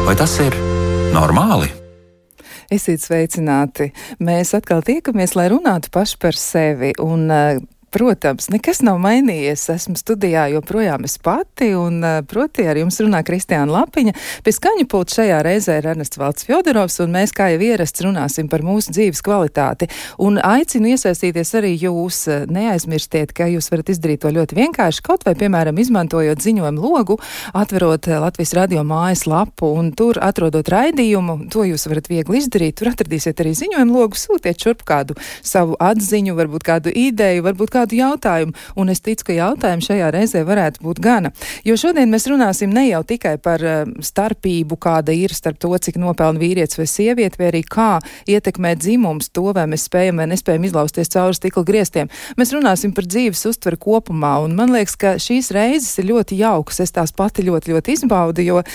Vai tas ir normāli? Esiet sveicināti. Mēs atkal tiekamies, lai runātu paši par sevi. Protams, nekas nav mainījies. Esmu studijā joprojām es pati, un proti ar jums runā Kristiāna Lapiņa. Pie skaņu pulta šajā reizē ir Ernests Valds Fjodorovs, un mēs, kā jau ierasts, runāsim par mūsu dzīves kvalitāti. Un aicinu iesaistīties arī jūs. Neaizmirstiet, ka jūs varat izdarīt to ļoti vienkārši, kaut vai, piemēram, izmantojot ziņojumu logu, atverot Latvijas radio mājas lapu, un tur atrodot raidījumu. To jūs varat viegli izdarīt. Tur atradīsiet arī ziņojumu logu, sūtiet šurp kādu savu atziņu, varbūt kādu ideju, varbūt kādu jautājumu, un es ticu, ka jautājumu šajā reizē varētu būt gana. Jo šodien mēs runāsim ne jau tikai par starpību, kāda ir starp to, cik nopelna vīrietis vai sieviete, vai arī kā ietekmē dzimums to, vai mēs spējam vai nespējam izlausties cauri stikla griestiem. Mēs runāsim par dzīves uztveru kopumā, un man liekas, ka šīs reizes ir ļoti jaukas. Es tās pati ļoti izbaudu, jo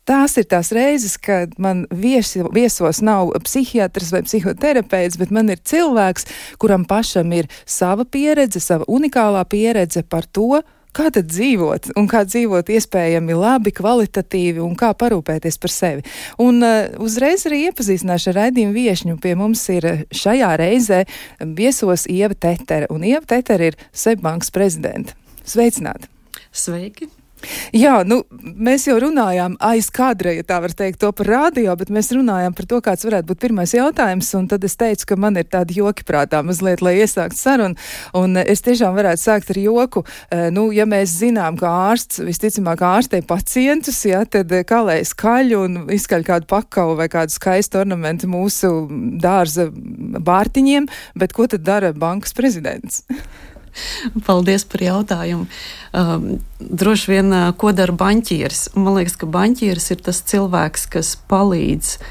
tās ir tās reizes, kad man viesos nav psihiatrs vai psihoterapeits, bet man ir cilvēks, kuram pašam ir sava pieredze, sava unikālā pieredze par to, kā tad dzīvot, un kā dzīvot iespējami labi, kvalitatīvi, un kā parūpēties par sevi. Un uzreiz arī iepazīstināšu ar raidījumu viešņu. Pie mums ir šajā reizē viesos Ieva Tetere, un Ieva Tetere ir Seibankas prezidente. Sveicināti! Sveiki! Jā, mēs jau runājām aiz kadra, ja tā var teikt, to par radio, bet mēs runājām par to, kāds varētu būt pirmais jautājums, un tad es teicu, ka man ir tādi joki prātā mazliet, lai iesākt sarunu, un es tiešām varētu sākt ar joku. Ja mēs zinām, ka ārsts, visticamāk ārstē pacientus, ja, tad kā lai skaļ un izskaļ kādu pakavu vai kādu skaistu ornamentu mūsu dārza bārtiņiem, bet ko tad dara bankas prezidents? Paldies par jautājumu. Droši vien, ko dara baņķieris? Man liekas, ka baņķieris ir tas cilvēks, kas palīdz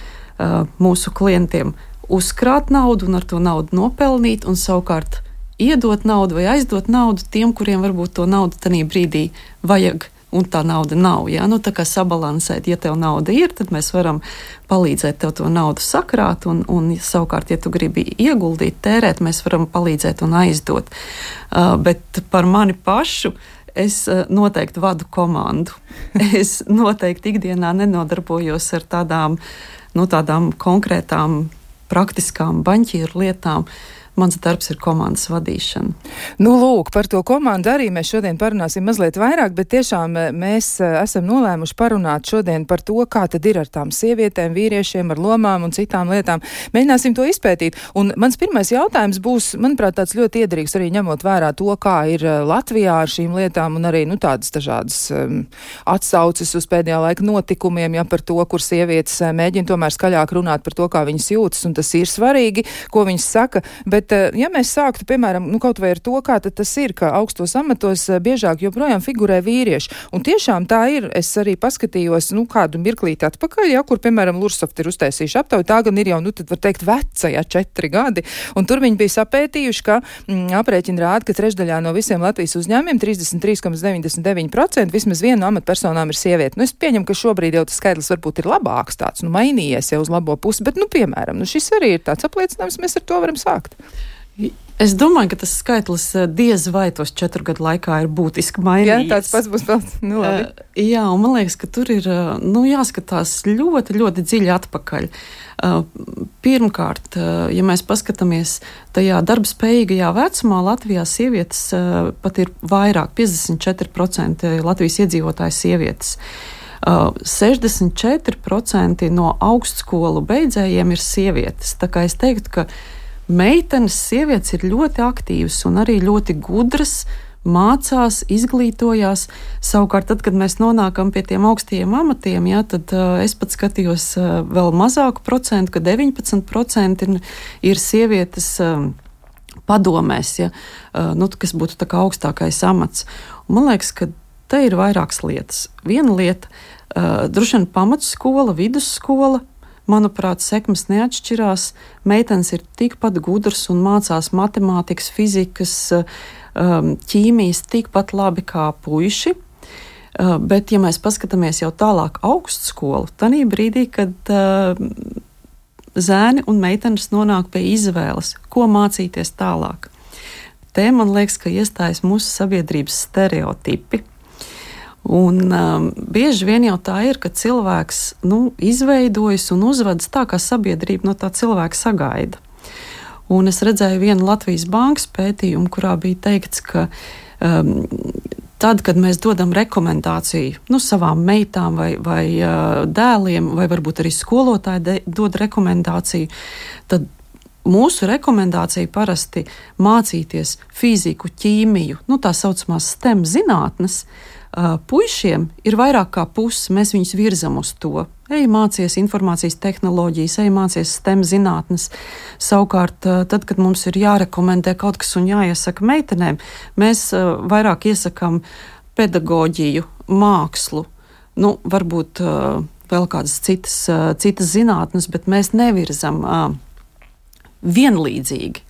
mūsu klientiem uzkrāt naudu un ar to naudu nopelnīt, un savukārt iedot naudu vai aizdot naudu tiem, kuriem varbūt to naudu tanī brīdī vajag, un tā nauda nav. Ja? Tā kā sabalansēt, ja tev nauda ir, tad mēs varam palīdzēt tev to naudu sakrāt, un savukārt, ja tu gribi ieguldīt, tērēt, mēs varam palīdzēt un aizdot. Bet par mani pašu es noteikti vadu komandu. Es noteikti ikdienā nenodarbojos ar tādām konkrētām, praktiskām baņķieru lietām. Mans darbs ir komandas vadīšana. Lūk, par to komandu arī mēs šodien parunāsim mazliet vairāk, bet tiešām mēs esam nolēmuši parunāt šodien par to, kā tad ir ar tām sievietēm, vīriešiem, ar lomām un citām lietām. Mēģināsim to izpētīt. Un mans pirmais jautājums būs, manuprāt, tāds ļoti iederīgs arī ņemot vērā to, kā ir Latvijā ar šīm lietām un arī tādas dažādas atsauces uz pēdējā laika notikumiem, ja par to, kur sievietes mēģina tomēr skaļāk runāt par to, kā viņas jūtas, un tas ir svarīgi, ko viņas saka, bet ja mēs sāktu, piemēram, kaut vai ar to, kā tad tas ir, ka augstos amatos biežāk joprojām figurē vīrieši. Un tiešām tā ir. Es arī paskatījos, kādu mirklīti atpakaļ, ja, kur, piemēram, Lursoft ir uztaisījuši aptauju. Tā gan ir jau, tad var teikt, veca, 4 gadi. Un tur viņi bija sapētījuši, ka aprēķini rāda, ka trešdaļā no visiem Latvijas uzņēmumiem 33,99% vismaz viena no amatpersonām ir sieviete. Es pieņemu, ka šobrīd jau tas skaidrs varbūt ir labāks tāds, mainījies jau uz labo pusi, bet, piemēram, šis arī ir tāds apliecinājums, mēs ar to varam sākt. Es domāju, ka tas skaitlis diez vai tos 4 gadu laikā ir būtiski mainījies. Jā, tāds pats būs vēl. Labi. Jā, un man liekas, ka tur ir jāskatās ļoti dziļi atpakaļ. Pirmkārt, ja mēs paskatāmies tajā darbspējīgajā vecumā, Latvijā sievietes pat ir vairāk, 54% Latvijas iedzīvotāju sievietes. 64% no augstskolu beidzējiem ir sievietes. Tā kā es teiktu, ka meitenes, sievietes ir ļoti aktīvas un arī ļoti gudras, mācās, izglītojās. Savukārt, tad, kad mēs nonākam pie tiem augstajiem amatiem, tad es pat skatījos vēl mazāku procentu, ka 19% ir sievietes padomēs, kas būtu tā kā augstākais amats. Un man liekas, ka te ir vairākas lietas. Viena lieta, droši vien pamatskola, vidusskola, manuprāt, sekmes neatšķirās. Meitenes ir tikpat gudras un mācās matemātikas, fizikas, ķīmijas tikpat labi kā puiši. Bet, ja mēs paskatāmies jau tālāk augstskolu, tanī brīdī, kad zēni un meitenes nonāk pie izvēles, ko mācīties tālāk. Te man liekas, ka iestājas mūsu sabiedrības stereotipi. Un bieži vien jau tā ir, ka cilvēks izveidojas un uzvedas tā, kā sabiedrība no tā cilvēka sagaida. Un es redzēju vienu Latvijas bankas pētījumu, kurā bija teikts, ka tad, kad mēs dodam rekomendāciju savām meitām vai dēliem, vai varbūt arī skolotāji dod rekomendāciju, tad mūsu rekomendācija parasti mācīties fiziku, ķīmiju, tā saucamās STEM zinātnes. Puišiem ir vairāk kā pusi, mēs viņus virzam uz to. Ej mācies informācijas tehnoloģijas, ej mācies STEM zinātnes. Savukārt, tad, kad mums ir jārekomendē kaut kas un jāiesaka meitenēm, mēs vairāk iesakām pedagoģiju, mākslu, varbūt vēl kādas citas zinātnes, bet mēs nevirzam vienlīdzīgi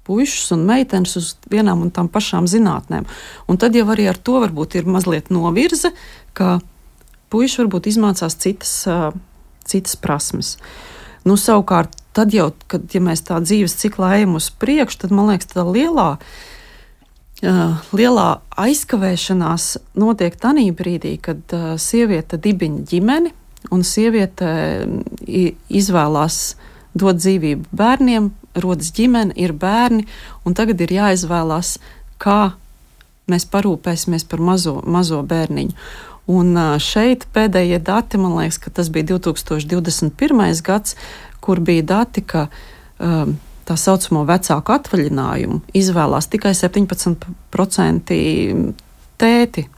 puišus un meitenes uz vienām un tām pašām zinātnēm. Un tad jau arī ar to varbūt ir mazliet novirze, ka puiši varbūt izmācās citas prasmes. Savukārt, tad jau, ja mēs tā dzīves ciklā ejam uz priekšu, tad, man liekas, tā lielā aizkavēšanās notiek tanī brīdī, kad sieviete dibina ģimeni un sieviete izvēlās dot dzīvību bērniem, rodas ģimene, ir bērni, un tagad ir jāizvēlās, kā mēs parūpēsimies par mazo bērniņu. Un šeit pēdējie dati, man liekas, ka tas bija 2021. gads, kur bija dati, ka tā saucamo vecāku atvaļinājumu izvēlās tikai 17% tēti.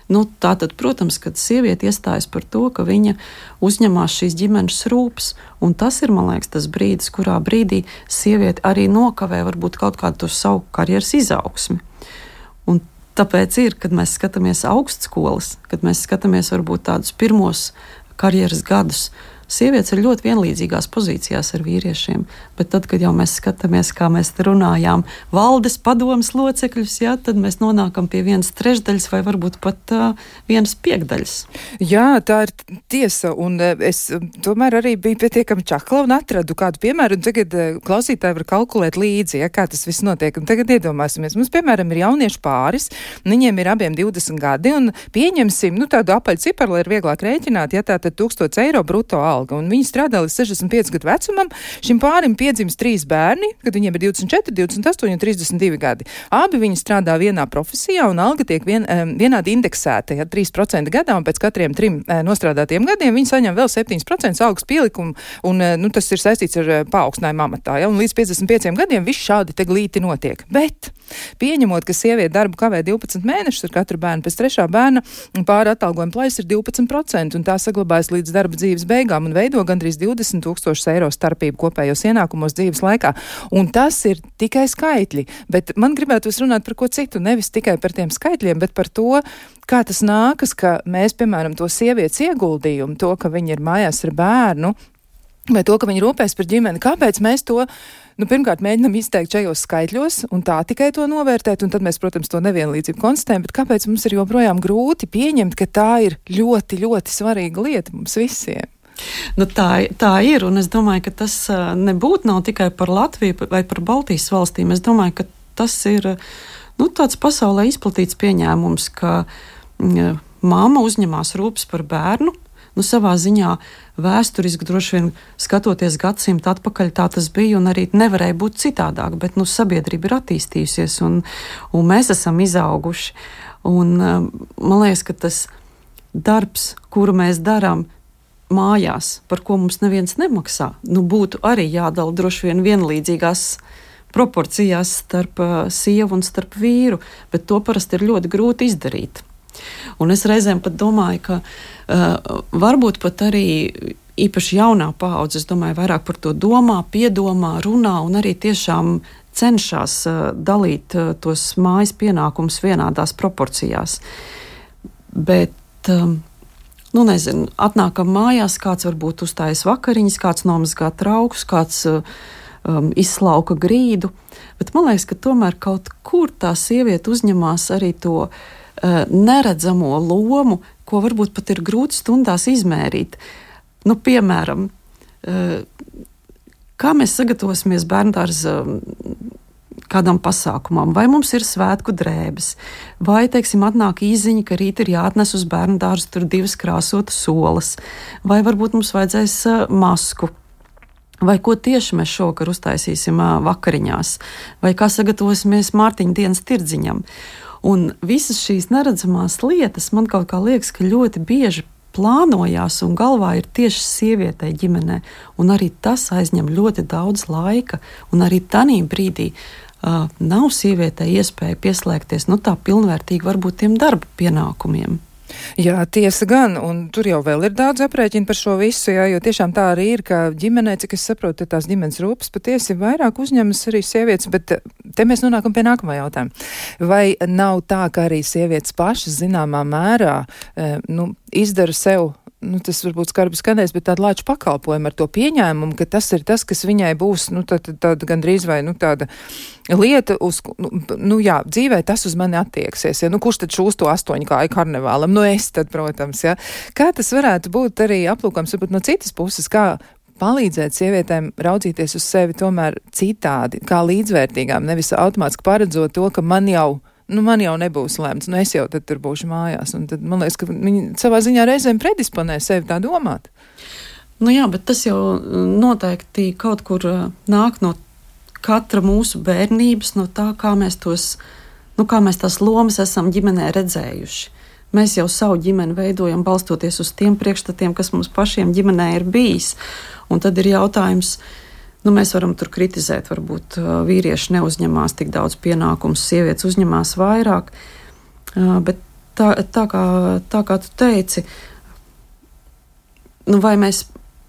Tātad, protams, kad sieviete iestājas par to, ka viņa uzņemās šīs ģimenes rūpes, un tas ir, man liekas, tas brīdis, kurā brīdī sieviete arī nokavē varbūt kaut kādu to savu karjeras izaugsmi. Un tāpēc ir, kad mēs skatāmies augstskolas, kad mēs skatāmies varbūt tādus pirmos karjeras gadus, sievietes ir ļoti vienlīdzīgās pozīcijās ar vīriešiem, bet tad, kad jau mēs skatāmies, kā mēs runājām, valdes padomes locekļus, tad mēs nonākam pie 1/3 vai varbūt pat 1/5. Jā, tā ir tiesa, un es tomēr arī biju pietiekami čakla un atradu kādu piemēru, un tagad klausītāji var kalkulēt līdzi, kā tas viss notiek, un tagad iedomāsimies. Mums, piemēram, ir jauniešu pāris, viņiem ir abiem 20 gadi, un pieņemsim, tādu apaļu ciparu, lai ir vieglāk rēķināt, tātad 1000 eiro bruto alga, un viņi strādā līdz 65 gadu vecumam. Šim pārim piedzimst 3 bērni, kad viņiem ir 24, 28 un 32 gadi. Abi viņi strādā vienā profesijā, un alga tiek vienādi indeksēta, 3% gadā, un pēc katriem 3 nostrādātiem gadiem viņi saņem vēl 7% algas pielikumu, un tas ir saistīts ar paaugstinājumu amatā. Un līdz 55 gadiem viss šādi te glīti notiek. Bet, pieņemot, ka sieviete darbu kavē 12 mēnešus ar katru bērnu, pēc 3. bērna pāri atalgojuma plaisa ir 12%, un tā saglabājas līdz darba dzīves beigām un veido gandrīz 20 000 eiro starpību kopējos ienākumos dzīves laikā. Un tas ir tikai skaitļi, bet man gribētos runāt par ko citu, nevis tikai par tiem skaitļiem, bet par to, kā tas nākas, ka mēs, piemēram, to sievietes ieguldījumu, to, ka viņa ir mājās ar bērnu, vai to, ka viņa rūpēs par ģimeni, kāpēc mēs to pirmkārt mēģinam izteikt šajos skaitļos un tā tikai to novērtēt, un tad mēs, protams, to nevienlīdzību konstatējam, bet kāpēc mums ir joprojām grūti pieņemt, ka tā ir ļoti, ļoti svarīga lieta mums visiem? Tā ir, un es domāju, ka tas nebūtu nav tikai par Latviju vai par Baltijas valstīm. Es domāju, ka tas ir tāds pasaulē izplatīts pieņēmums, ka mamma uzņemās rūpes par bērnu. Savā ziņā vēsturiski droši vien skatoties gadsimtu atpakaļ, tā tas bija un arī nevarēja būt citādāk, bet sabiedrība ir attīstījusies un mēs esam izauguši. Un man liekas, ka tas darbs, kuru mēs darām mājās, par ko mums neviens nemaksā, būtu arī jādala droši vien vienlīdzīgās proporcijās starp sievu un starp vīru, bet to parasti ir ļoti grūti izdarīt. Un es reizēm pat domāju, ka varbūt pat arī īpaši jaunā paudze, es domāju, vairāk par to domā, piedomā, runā un arī tiešām cenšas dalīt tos mājas pienākumus vienādās proporcijās. Bet nezinu, atnākam mājās, kāds varbūt uzstājas vakariņas, kāds nomazgā traukus, kāds izslauka grīdu, bet man liekas, ka tomēr kaut kur tā sieviete uzņemās arī to neredzamo lomu, ko varbūt pat ir grūti stundās izmērīt. Piemēram, kā mēs sagatavosimies bērndārza kādam pasākumam, vai mums ir svētku drēbes, vai, teiksim, atnāk īziņa, ka rīt ir jāatnes uz bērnu dārzu tur 2 krāsotas solas, vai varbūt mums vajadzēs masku, vai ko tieši mēs šovakar uztaisīsim vakariņās, vai kā sagatavosimies Mārtiņa dienas tirdziņam. Un visas šīs neredzamās lietas man kaut kā liekas, ka ļoti bieži plānojās un galvā ir tieši sievietei ģimenē, un arī tas aizņem ļoti daudz laika, un arī tanī brīdī nav sievietei iespēja pieslēgties, tā pilnvērtīgi varbūt tiem darba pienākumiem. Jā, tiesa gan, un tur jau vēl ir daudz aprēķinu par šo visu, jā, jo tiešām tā arī ir, ka ģimenē, cik es saprotu, tās ģimenes rūpes patiesi vairāk uzņemas arī sievietes, bet te mēs nonākam pie nākamā jautājuma. Vai nav tā, ka arī sievietes pašas zināmā mērā izdara sev, tas varbūt skarbi skanēs, bet tādu lāču pakalpojumu ar to pieņēmumu, ka tas ir tas, kas viņai būs, tāda gandrīz vai, tāda lieta, jā, dzīvē tas uz mani attieksies, ja, kurš tad šūs to 8 kāju karnevālam? Es tad, protams, ja. Kā tas varētu būt arī aplūkams, varbūt no citas puses, kā palīdzēt sievietēm raudzīties uz sevi tomēr citādi, kā līdzvērtīgām, nevis automātiski paredzot to, ka man jau nebūs lemts, es jau tad tur būšu mājās. Un tad man liekas, ka viņi savā ziņā reizēm predisponē sevi tā domāt. Jā, bet tas jau noteikti kaut kur nāk no katra mūsu bērnības, no tā, kā mēs tās lomas esam ģimenē redzējuši. Mēs jau savu ģimeni veidojam balstoties uz tiem priekšstatiem, kas mums pašiem ģimenē ir bijis. Un tad ir jautājums, mēs varam tur kritizēt, varbūt vīrieši neuzņemās tik daudz pienākumus, sievietes uzņemās vairāk, bet tā kā tu teici, vai mēs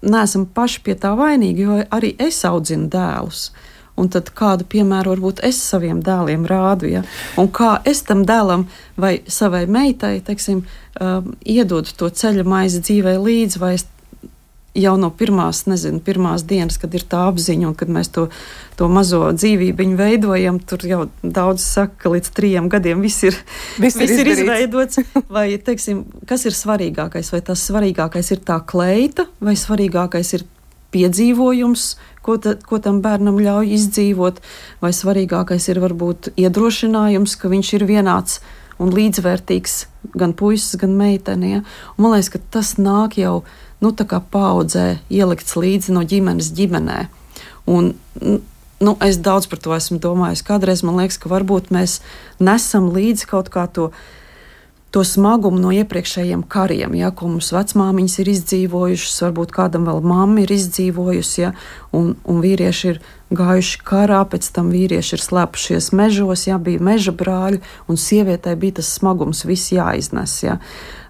neesam paši pie tā vainīgi, jo arī es audzinu dēlus. Un tad kādu piemēru varbūt es saviem dēliem rādu, ja? Un kā es tam dēlam vai savai meitai, teiksim, iedodu to ceļa maizi dzīvē līdzi, vai es jau no pirmās dienas, kad ir tā apziņa un kad mēs to mazo dzīvībiņu veidojam, tur jau daudz saka, ka līdz 3 gadiem viss ir izveidots. Vai, teiksim, kas ir svarīgākais? Vai tas svarīgākais ir tā kleita, vai svarīgākais ir piedzīvojums, ko tam bērnam ļauj izdzīvot, vai svarīgākais ir varbūt iedrošinājums, ka viņš ir vienāds un līdzvērtīgs gan puisis, gan meitene. Ja? Man liekas, ka tas nāk jau tā kā paaudzē ielikts līdzi no ģimenes ģimenē. Un es daudz par to esmu domājis. Kādreiz man liekas, ka varbūt mēs nesam līdzi kaut kā to smagumu no iepriekšējiem kariem, ja, ko mums vecmāmiņas ir izdzīvojušas, varbūt kādam vēl mamma ir izdzīvojusi, ja, un vīrieši ir gājuši karā, pēc tam vīrieši ir slēpušies mežos, ja, bija meža brāļi, un sievietei bija tas smagums viss jāiznes, ja,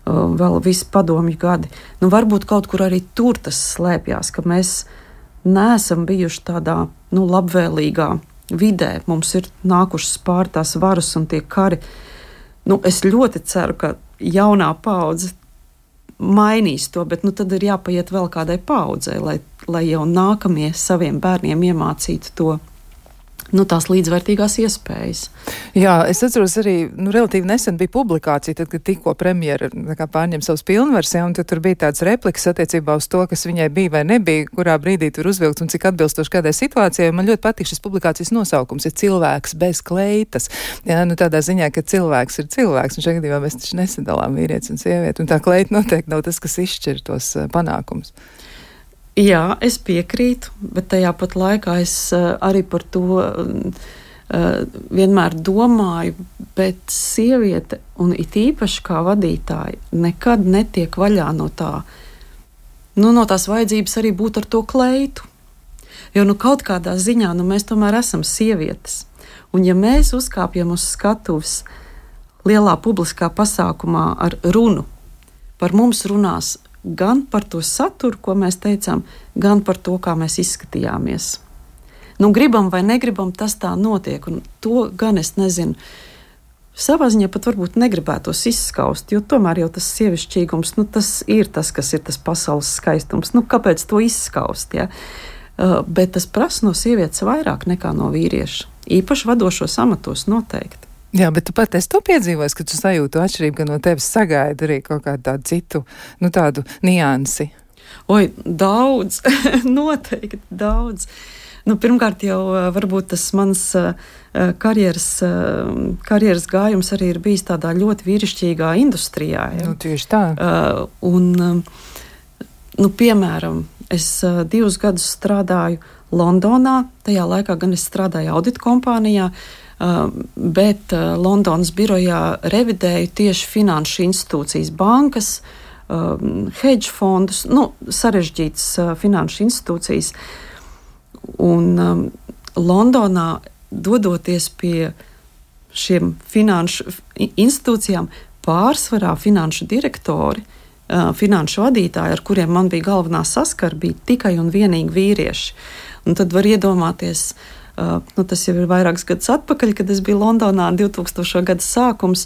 vēl visi padomju gadi. Varbūt kaut kur arī tur tas slēpjās, ka mēs neesam bijuši tādā, labvēlīgā vidē, mums ir nākušas pār tās varas un tie kari. Es ļoti ceru, ka jaunā paudze mainīs to, bet tad ir jāpaiet vēl kādai paudzei, lai jau nākamie saviem bērniem iemācītu to, tās līdzvērtīgās iespējas. Jā, es atceros arī, relatīvi nesen bija publikācija, tad, kad tikko premjera pārņem savus pilnvars, ja, un tad tur bija tāds repliks attiecībā uz to, kas viņai bija vai nebija, kurā brīdī tur uzvilkts un cik atbilstoši kādai situācijai. Man ļoti patīk šis publikācijas nosaukums, ir cilvēks bez kleitas. Jā, tādā ziņā, ka cilvēks ir cilvēks, un šajā gadījumā mēs taču nesadalām vīrietis un sievieti, un tā kleita noteikti nav tas, kas izšķir tos panākumus. Jā, es piekrītu, bet tajā pat laikā es arī par to vienmēr domāju, bet sieviete, un it īpaši kā vadītāja, nekad netiek vaļā no tā, no tās vajadzības arī būt ar to kleitu. Jo kaut kādā ziņā mēs tomēr esam sievietes. Un ja mēs uzkāpjam uz skatuves lielā publiskā pasākumā ar runu, par mums runās gan par to saturu, ko mēs teicām, gan par to, kā mēs izskatījāmies. Gribam vai negribam, tas tā notiek, un to gan es nezinu. Savā ziņā pat varbūt negribētos izskaust, jo tomēr jau tas sievišķīgums, tas ir tas, kas ir tas pasaules skaistums. Kāpēc to izskaust, ja? Bet tas prasa no sievietes vairāk nekā no vīrieša. Īpaši vadošos amatos noteikti. Jā, bet tu pat esi to piedzīvojis, ka tu sajūtu atšķirību, ka no tevis sagaida arī kaut kādu tādu citu, tādu niansi. Oi, daudz, noteikti daudz. Pirmkārt, jau varbūt tas mans karjeras gājums arī ir bijis tādā ļoti vīrišķīgā industrijā. Ja? Tieši tā. Piemēram, es 2 gadus strādāju Londonā. Tajā laikā gan es strādāju audita kompānijā, bet Londonas birojā revidēju tieši finanšu institūcijas, bankas, hedge fondus, sarežģītas finanšu institūcijas. Un Londonā, dodoties pie šiem finanšu institūcijām, pārsvarā finanšu direktori, finanšu vadītāji, ar kuriem man bija galvenā saskara, bija tikai un vienīgi vīrieši. Un tad var iedomāties, tas jau ir vairākus gadus atpakaļ, kad es biju Londonā, 2000. Gada sākums,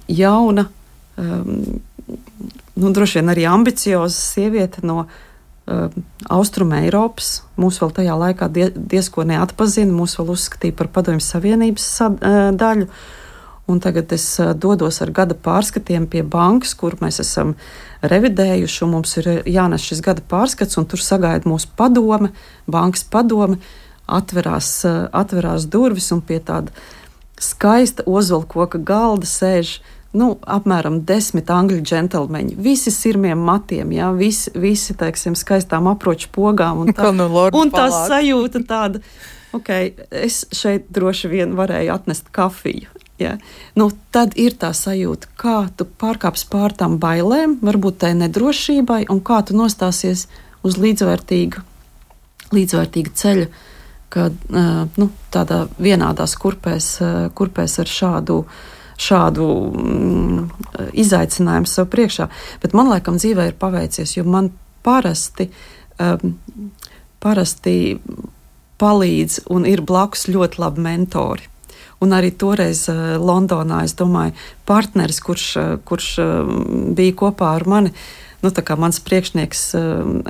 jauna, droši vien arī ambicioza sieviete no Austruma Eiropas. Mūs vēl tajā laikā diezko neatpazina, mūs vēl uzskatīja par Padomju Savienības daļu. Un tagad es dodos ar gada pārskatiem pie bankas, kur mēs esam revidējuši, un mums ir jānes šis gada pārskats, un tur sagaida mūsu padome, bankas padome, atverās durvis, un pie tāda skaista ozolkoka galda sēž apmēram 10 angļu džentelmeņi, visi sirmiem matiem, jā, visi teiksim, skaistām aproču pogām, un tā sajūta tāda, es šeit droši vien varēju atnest kafiju. Ja. Tad ir tā sajūta, kā tu pārkāps pār tām bailēm, varbūt tai nedrošībai, un kā tu nostāsies uz līdzvērtīga ceļa, kad tādā vienādās kurpēs ar šādu izaicinājumu sev priekšā. Bet man laikam dzīvē ir paveicies, jo man parasti palīdz un ir blakus ļoti labi mentori. Un arī toreiz Londonā, es domāju, partneris, kurš bija kopā ar mani, tā kā mans priekšnieks,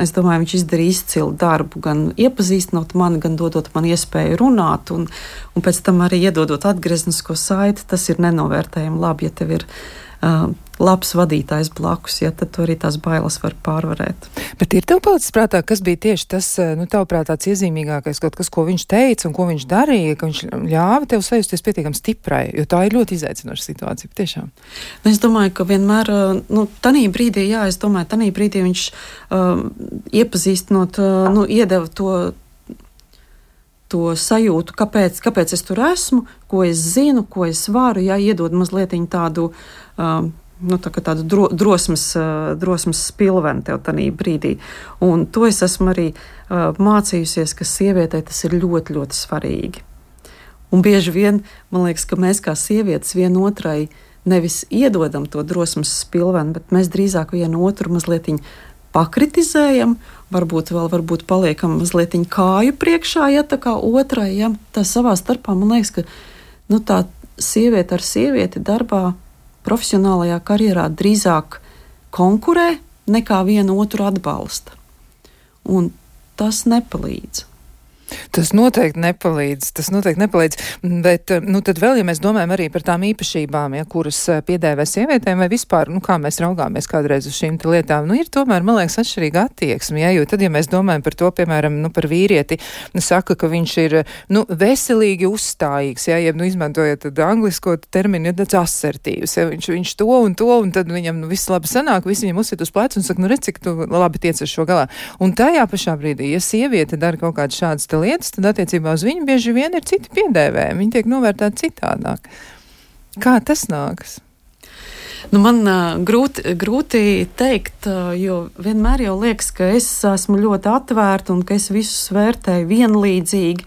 es domāju, viņš izdarīja izcilu darbu, gan iepazīstinot mani, gan dodot man iespēju runāt, un pēc tam arī iedodot atgrieznisko saiti. Tas ir nenovērtējami labi, ja tev ir labs vadītājs blakus, ja tad tu arī tās bailes var pārvarēt. Bet ir tev palicis prātā, kas bija tieši tas, tavuprāt, tāds iezīmīgākais kaut kas, ko viņš teica un ko viņš darīja, ka viņš ļāva tev sajusties pietiekami stiprai, jo tā ir ļoti izaicinoša situācija, tiešām. Es domāju, ka vienmēr, tanī brīdī viņš iepazīstinot, iedeva to sajūtu, kāpēc es tur esmu, ko es zinu, ko es varu, iedod mazliet tādu drosmes spilveni tev tanī brīdī. Un to es esmu arī mācījusies, ka sievietei tas ir ļoti, ļoti svarīgi. Un bieži vien, man liekas, ka mēs kā sievietes vienotrai nevis iedodam to drosmes spilveni, bet mēs drīzāk vienu otru mazliet pakritizējam, varbūt paliekam mazliet kāju priekšā, tā kā otrai, tā savā starpā, man liekas, ka tā sieviete ar sievieti darbā, profesionālajā karjerā drīzāk konkurē nekā vienu otru atbalsta. Un tas nepalīdz. Tas noteikti nepalīdz, bet tad vēl, ja mēs domājam arī par tām īpašībām, kuras piedēvē sievietēm, vai vispār, kā mēs raugāmies kādreiz uz šīm lietām, ir tomēr, man liekas, atšķirīga attieksme, jo tad, ja mēs domājam par to, piemēram, par vīrieti, saka, ka viņš ir, veselīgi uzstājīgs, jeb, izmantojot tad anglisko terminu, tāds asertīvs, viņš to, un tad viņam, viss labi sanāk, visi viņam uzsit uz plecu un saka, redz, cik tu labi tiec ar šo galā. Un tajā pašā brīdī, ja sieviete dara kaut kādas šādas lietas, tad attiecībā uz viņu bieži vien ir citi piedēvējumi. Viņi tiek novērtēti citādāk. Kā tas nākas? Man grūti teikt, jo vienmēr jau liekas, ka es esmu ļoti atvērta un ka es visus vērtēju vienlīdzīgi.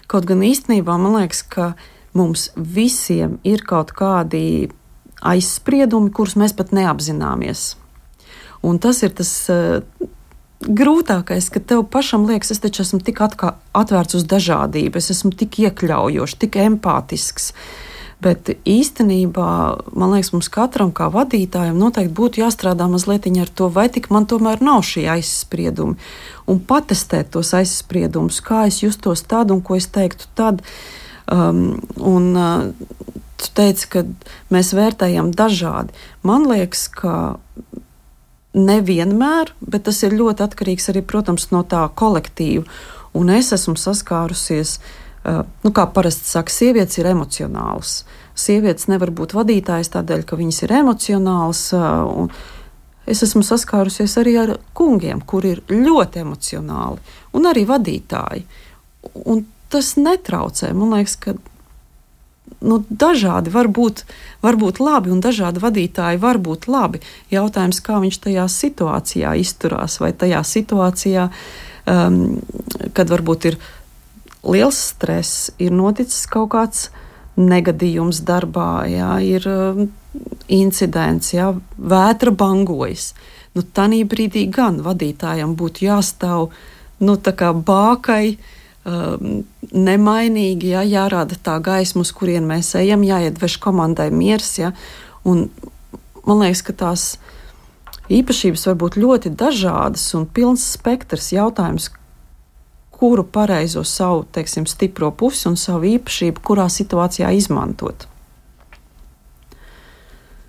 Kaut gan īstenībā man liekas, ka mums visiem ir kaut kādi aizspriedumi, kurus mēs pat neapzināmies. Un tas ir tas grūtākais, ka tev pašam liekas, es taču esmu tik atvērts uz dažādību, es esmu tik iekļaujošs, tik empātisks. Bet īstenībā, man liekas, mums katram kā vadītājam noteikti būtu jāstrādā mazliet ar to, vai tik man tomēr nav šī aizspriedumi. Un patestēt tos aizspriedumus, kā es justos tad un ko es teiktu tad. Tu teici, ka mēs vērtējam dažādi. Man liekas, ka nevienmēr, bet tas ir ļoti atkarīgs arī, protams, no tā kolektīva. Un es esmu saskārusies, kā parasti saka, sievietes ir emocionālas. Sievietes nevar būt vadītājas tādēļ, ka viņas ir emocionālas. Un es esmu saskārusies arī ar kungiem, kuri ir ļoti emocionāli, un arī vadītāji. Un tas netraucē. Man liekas, ka dažādi var būt labi, un dažādi vadītāji var būt labi. Jautājums, kā viņš tajā situācijā izturās, vai tajā situācijā, kad varbūt ir liels stress, ir noticis kaut kāds negadījums darbā, ir incidents, vētra bangojas. Tanī brīdī gan vadītājam būtu jāstāv tā kā bākai, nemainīgi, jārāda tā gaisma, uz kurien mēs ejam, jāiedvež komandai miers. Un man liekas, ka tās īpašības var būt ļoti dažādas un pilns spektrs. Jautājums, kuru pareizo savu, teiksim, stipro pusi un savu īpašību, kurā situācijā izmantot.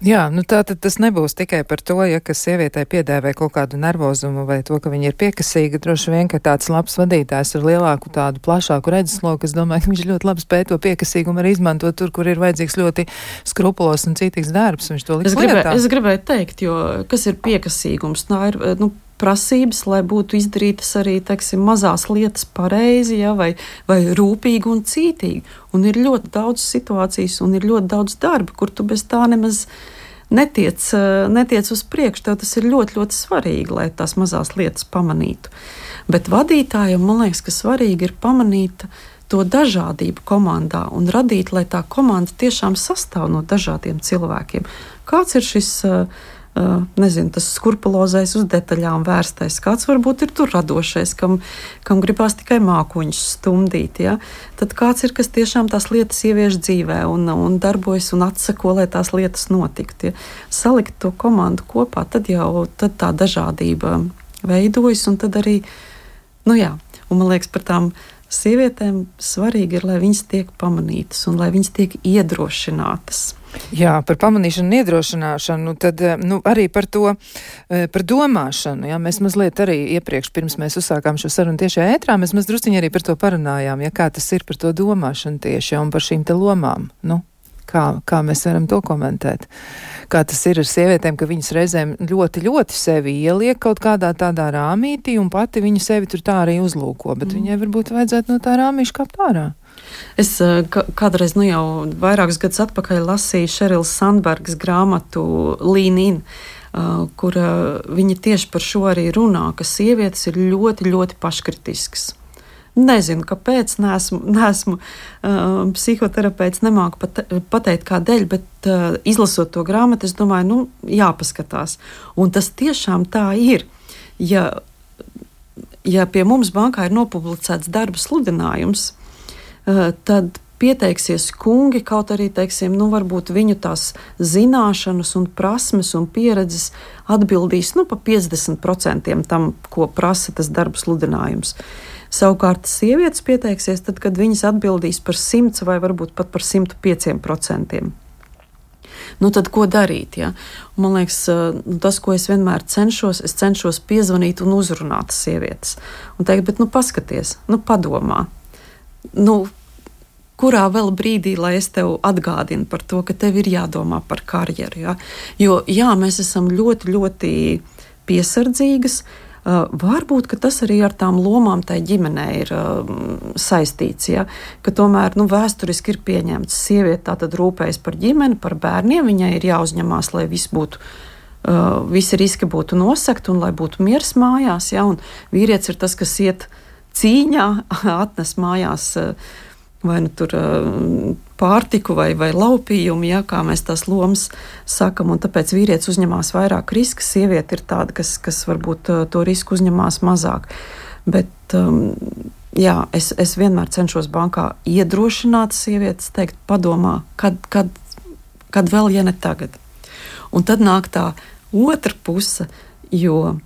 Jā, tātad tas nebūs tikai par to, ka sievietei piedēvē kaut kādu nervozumu vai to, ka viņa ir piekasīga. Droši vien, ka tāds labs vadītājs ar lielāku tādu plašāku redzesloku, es domāju, ka viņš ļoti labi spēj to piekasīgumu arī izmantot tur, kur ir vajadzīgs ļoti skrupulos un citīgs darbs. Viņš to liks lietā. Es gribēju teikt, jo kas ir piekasīgums? Tā ir, prasības, lai būtu izdarītas arī, teiksim, mazās lietas pareizi, vai rūpīgi un cītīgi. Un ir ļoti daudz situācijas un ir ļoti daudz darba, kur tu bez tā nemaz netiec uz priekšu. Tev tas ir ļoti, ļoti svarīgi, lai tās mazās lietas pamanītu. Bet vadītājiem, man liekas, ka svarīgi ir pamanīt to dažādību komandā un radīt, lai tā komanda tiešām sastāv no dažādiem cilvēkiem. Kāds ir šis tas skrupulozais uz detaļām vērstais, kāds varbūt ir tur radošais, kam gribās tikai mākoņus stumdīt, tad kāds ir, kas tiešām tās lietas ievieš dzīvē un darbojas un atsako, lai tās lietas notiktu. Salikt to komandu kopā, tad tā dažādība veidojas, un tad arī, un man liekas, par tām sievietēm svarīgi ir, lai viņas tiek pamanītas un lai viņas tiek iedrošinātas. Jā, par pamanīšanu un iedrošināšanu, tad arī par to, par domāšanu. Mēs mazliet arī iepriekš, pirms mēs uzsākām šo sarunu tiešajā ētrā, mēs drusciņi arī par to parunājām, kā tas ir par to domāšanu tieši un par šīm te lomām. Kā mēs varam to komentēt? Kā tas ir ar sievietēm, ka viņas reizēm ļoti, ļoti sevi ieliek kaut kādā tādā rāmītī un pati viņa sevi tur tā arī uzlūko, bet viņai varbūt vajadzētu no tā rāmīša kāpt ārā. Es kādreiz, jau vairākus gadus atpakaļ lasīju Šerilas Sandbergas grāmatu Lean In, kur viņa tieši par šo arī runā, ka sievietes ir ļoti, ļoti paškritiskas. Nezinu, kāpēc, neesmu psihoterapeits, nemāku pateikt kādēļ, bet izlasot to grāmatu, es domāju, jāpaskatās. Un tas tiešām tā ir. Ja pie mums bankā ir nopublicēts darba sludinājums, tad pieteiksies kungi, kaut arī, teiksim, varbūt viņu tās zināšanas un prasmes un pieredzes atbildīs pa 50% tam, ko prasa tas darba sludinājums. Savukārt sievietes pieteiksies tad, kad viņas atbildīs par 100 vai varbūt pat par 105%. Tad ko darīt? Man liekas, tas, ko es vienmēr cenšos piezvanīt un uzrunāt sievietes. Un teikt, bet paskaties, padomā. Kurā vēl brīdī, lai es tev atgādinu par to, ka tev ir jādomā par karjeru. Jo mēs esam ļoti, ļoti piesardzīgas. Varbūt, ka tas arī ar tām lomām tai ģimenē ir saistīts, ka tomēr vēsturiski ir pieņemts sieviete tātad rūpējas par ģimeni, par bērniem, viņai ir jāuzņemās, lai visi riski būtu nosegti un lai būtu miers mājās, un vīrietis ir tas, kas iet cīņā, atnes mājās vai tur pārtiku vai laupījumu, kā mēs tās lomas sakam, un tāpēc vīrietis uzņemās vairāk riska, sieviete ir tāda, kas varbūt to risku uzņemās mazāk. Bet, es vienmēr cenšos bankā iedrošināt sievietes, teikt, padomā, kad vēl, ja ne tagad. Un tad nāk tā otra puse, jo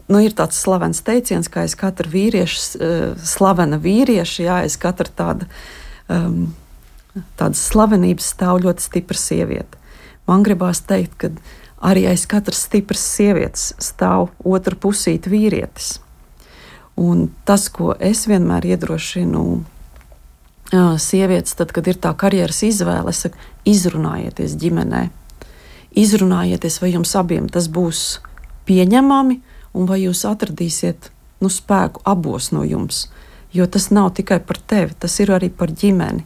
ir tāds slavens teiciens, ka aiz katra vīrieša slavena vīrieša, aiz katra tādas slavenības stāv ļoti stipra sieviete. Man gribās teikt, ka arī aiz katras stipras sievietes stāv otra pusīte vīrietis. Un tas, ko es vienmēr iedrošinu sievietes, tad, kad ir tā karjeras izvēle, es saku, izrunājieties ģimenē. Izrunājieties, vai jums abiem tas būs pieņemami, un vai jūs atradīsiet spēku abos no jums. Jo tas nav tikai par tevi, tas ir arī par ģimeni.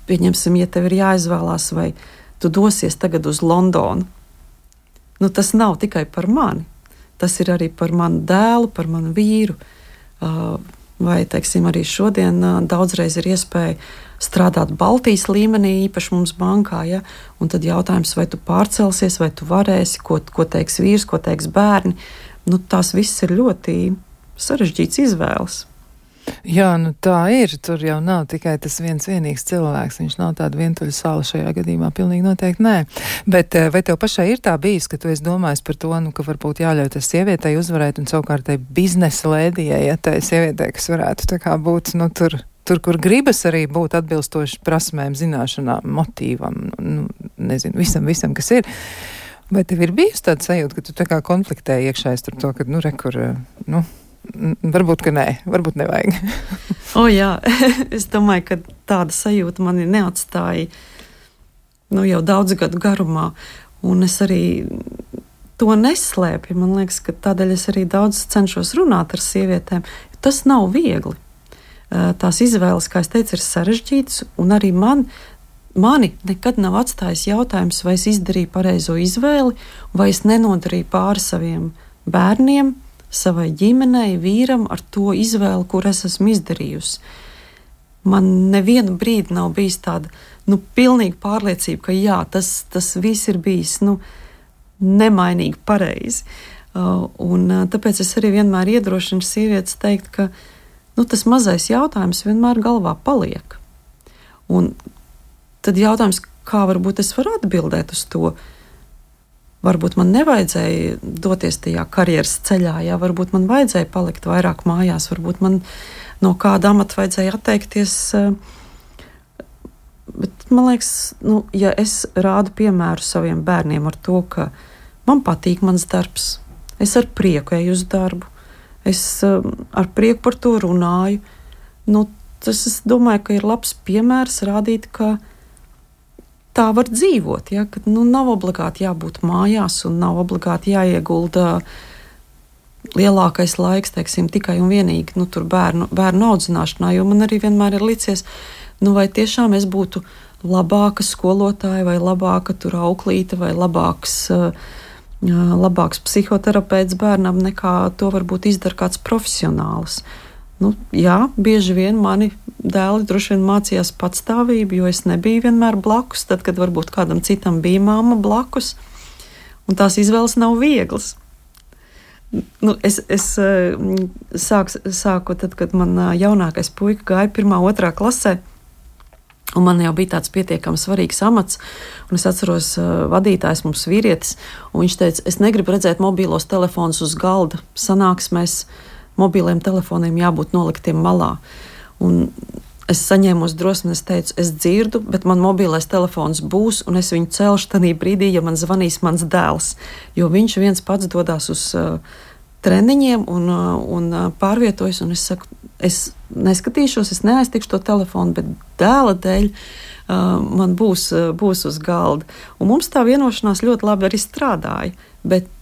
Pieņemsim, ja tev ir jāizvēlās, vai tu dosies tagad uz Londonu. Tas nav tikai par mani. Tas ir arī par manu dēlu, par manu vīru. Vai, teiksim, arī šodien daudzreiz ir iespēja strādāt Baltijas līmenī, īpaši mums bankā. Ja? Un tad jautājums, vai tu pārcelsies, vai tu varēsi, ko teiks vīrs, ko teiks bērni. Tās viss ir ļoti sarežģīts izvēles. Jā, tā ir. Tur jau nav tikai tas vienīgs cilvēks. Viņš nav tāda vientuļa sala šajā gadījumā. Pilnīgi noteikti nē. Bet vai tev pašai ir tā bijis, ka tu esi domājis par to, ka varbūt jāļauj tai sievietei uzvarēt un savukārt tai biznesa lēdijai, ja tai sievietei, kas varētu tā kā būt, tur, kur gribas arī būt atbilstoši prasmēm, zināšanām, motīvam, nezinu, visam, kas ir. Vai tev ir bijusi tāda sajūta, ka tu tā kā konfliktēji iekšēji starp to, ka, varbūt, ka nē, varbūt nevajag. Jā, es domāju, ka tāda sajūta mani neatstāja jau daudzu gadu garumā, un es arī to neslēpju. Man liekas, ka tādēļ es arī daudz cenšos runāt ar sievietēm. Tas nav viegli. Tās izvēles, kā es teicu, ir sarežģītas, un arī mani nekad nav atstājis jautājums, vai es izdarīju pareizo izvēli, vai es nenodarīju pāri saviem bērniem, savai ģimenei, vīram ar to izvēli, kur es esmu izdarījusi. Man nevienu brīdi nav bijis tāda pilnīga pārliecība, ka jā, tas viss ir bijis nemainīgi pareizi. Un tāpēc es arī vienmēr iedrošinu sievietes teikt, ka tas mazais jautājums vienmēr galvā paliek. Un tad jautājums, kā varbūt es varu atbildēt uz to. Varbūt man nevajadzēja doties tajā karjeras ceļā, jā, varbūt man vajadzēja palikt vairāk mājās, varbūt man no kāda amata vajadzēja atteikties. Bet man liekas, ja es rādu piemēru saviem bērniem ar to, ka man patīk mans darbs, es ar prieku eju uz darbu, es ar prieku par to runāju, tas es domāju, ka ir labs piemērs rādīt, ka tā var dzīvot, ja, ka nav obligāti jābūt mājās un nav obligāti jāiegulda lielākais laiks, teiksim, tikai un vienīgi tur bērnu audzināšanā, jo man arī vienmēr ir licies, vai tiešām es būtu labāka skolotāja vai labāka auklīte vai labāks psihoterapeits bērnam, nekā to varbūt izdara kāds profesionāls. Jā, bieži vien mani dēli droši vien mācījās patstāvību, jo es nebiju vienmēr blakus, tad, kad varbūt kādam citam bija mamma blakus, un tās izvēles nav vieglas. Es sāku tad, kad man jaunākais puika gāja 1., 2. klasē, un man jau bija tāds pietiekami svarīgs amats, un es atceros vadītājs mums vīrietis, un viņš teica, es negribu redzēt mobīlos telefonus uz galda sanāksmēs, mobiliem telefoniem jābūt noliktiem malā. Un es saņēmos drosmi, es teicu, es dzirdu, bet man mobilais telefons būs, un es viņu celšu tanī brīdī, ja man zvanīs mans dēls. Jo viņš viens pats dodās uz treniņiem un pārvietojas, un es saku, es neskatīšos, es neaiztikšu to telefonu, bet dēla dēļ man būs uz galda. Un mums tā vienošanās ļoti labi arī strādāja, bet